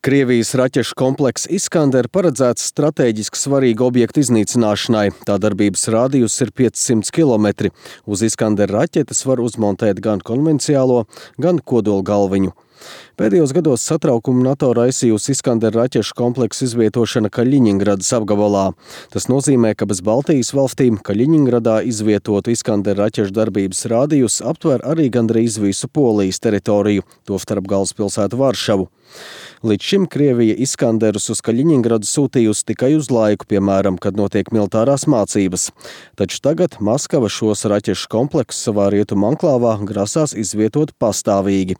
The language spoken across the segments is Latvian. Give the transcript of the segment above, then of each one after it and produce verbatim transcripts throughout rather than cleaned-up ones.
Krievijas raķešu komplekss Iskander paredzēts stratēģiski svarīgu objektu iznīcināšanai. Tā darbības rādījus ir piecsimt kilometri. Uz Iskander raķetes var uzmontēt gan konvenciālo, gan kodolgalviņu. Pēdējos gados satraukumu NATO raisījusi Iskander raķešu kompleksu izvietošana Kaļiņingradas apgabalā. Tas nozīmē, ka bez Baltijas valstīm Kaļiņingradā izvietotu Iskander raķešu darbības rādījus aptver arī gandrīz visu Polijas teritoriju, tostarp galvaspilsētu Varšavu. Līdz šim Krievija Iskanderus uz Kaļiņingradu sūtījusi tikai uz laiku, piemēram, kad notiek militārās mācības. Taču tagad Maskava šos raķešu kompleksus savā rietumu anklāvā grasās izvietot pastāvīgi.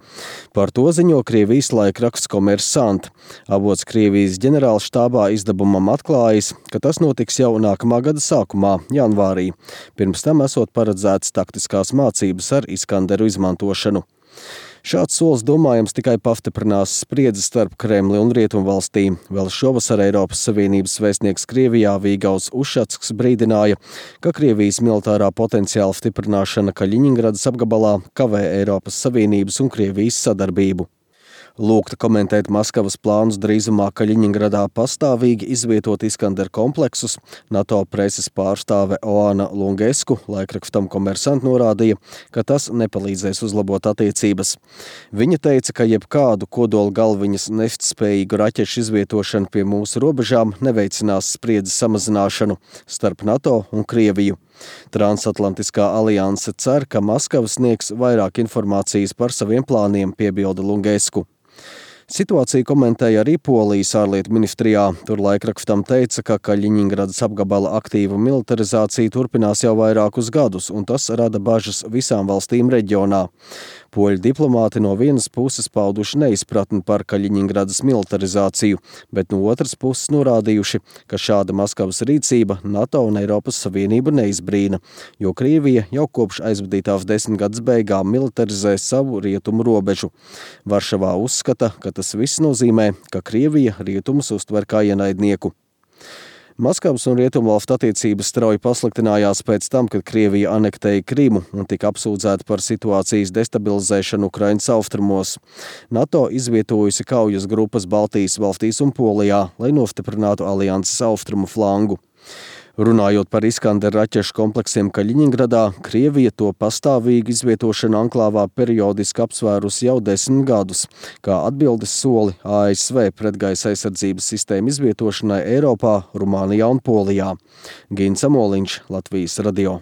Par to ziņo Krievijas laikraksts Kommersant. Avots Krievijas ģenerālštābā izdevumam atklājis, ka tas notiks jau nākamā gada sākumā, janvārī. Pirms tam esot paredzētas taktiskās mācības ar Iskanderu izmantošanu. Šāds solis, domājams, tikai pastiprinās spriedzi starp Kremli un Rietumvalstīm. Vēl šovasar Eiropas Savienības vēstnieks Krievijā Vīgauls Ušacks brīdināja, ka Krievijas militārā potenciāla stiprināšana Kaļiņingradas apgabalā kavē Eiropas Savienības un Krievijas sadarbību. Lūgta komentēt Maskavas plānus drīzumā Kaļiņingradā pastāvīgi izvietot Iskander kompleksus, NATO preses pārstāve Oana Lungesku laikrakstam Kommersant norādīja, ka tas nepalīdzēs uzlabot attiecības. Viņa teica, ka jebkādu kodola galviņas nestspējīgu raķešu izvietošanu pie mūsu robežām neveicinās spriedzes samazināšanu starp NATO un Krieviju. Transatlantiskā alianse cer, ka Maskava sniegs vairāk informācijas par saviem plāniem, piebilda Lungesku. Situāciju komentēja arī Polijas ārlietu ministrijā. Tur laikrakstam teica, ka Kaļiņingradas apgabala aktīva militarizācija turpinās jau vairākus gadus, un tas rada bažas visām valstīm reģionā. Poļu diplomāti no vienas puses pauduši neizpratni par Kaļiņingradas militarizāciju, bet no otras puses norādījuši, ka šāda Maskavas rīcība NATO un Eiropas Savienību neizbrīna, jo Krievija jau kopš aizvadītās desmitgades beigām militarizē savu rietumu robežu. Varšavā uzskata, ka tas viss nozīmē, ka Krievija rietumus uztver kā ienaidnieku. Maskavas un rietumvalstu attiecības strauji pasliktinājās pēc tam, kad Krievija anektēja Krimu un tika apsūdzēta par situācijas destabilizēšanu Ukrainas austrumos. NATO izvietojusi kaujas grupas Baltijas valstīs un Polijā, lai nostiprinātu alianses austrumu flangu. Runājot par Iskander raķešu kompleksiem Kaļiņingradā, Krievija to pastāvīgi izvietošanu anklāvā periodiski apsvērusi jau desmit gadus, kā atbildes soli A S V pretgaisa aizsardzības sistēmu izvietošanai Eiropā, Rumānijā un Polijā. Gins Amoliņš, Latvijas radio.